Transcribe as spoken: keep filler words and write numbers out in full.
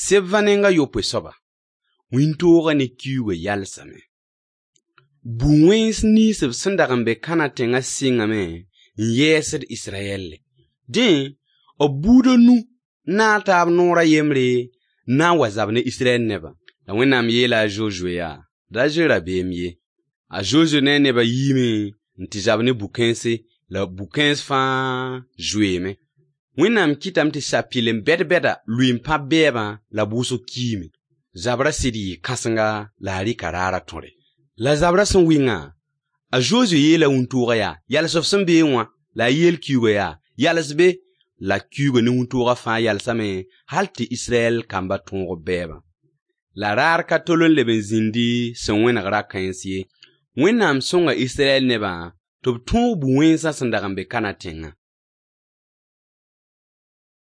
Sebva neng a yopoe soaba, wĩntoogã ne kiuugã yalsame. Bu-wẽns nins b sẽn dag n be Kãnã tẽngã sɩngame n yɛɛsd Israyɛlle. Dẽ, b buud a nu n naag taab noor a yembre n na n wa zab ne Israyɛl nebã. La Wẽnnaam yeela a Zozoe yaa: Da zoe rabeem ye. A Zozoe ne a nebã yiime n tɩ zab ne bu-kãense, la bu-kãens fãa zoeeme. Wẽnnaam kɩtame tɩ sapɩlem bɛd-bɛda lʋɩ n pãb bɛɛbã la b wʋsg kiime. Zabrã sɩd yɩɩ kãsenga la a rɩka raarã tõre. La zabrã sẽn wɩngã, a Zozoe yeela wĩntoogã yaa: Yals f sẽn beẽ wã. La a yeel kiuugã yaa: Yals be. La kiuugã ne wĩntoogã fãa yalsame hal tɩ Israyɛl kambã tõog b bɛɛbã. La raar ka tol n leb n zĩndi sẽn wẽneg ra-kãens ye. Wẽnnaam sõnga Israyɛl nebã tɩ b tõog bu-wẽnsã sẽn dag n be Kãnã tẽngã.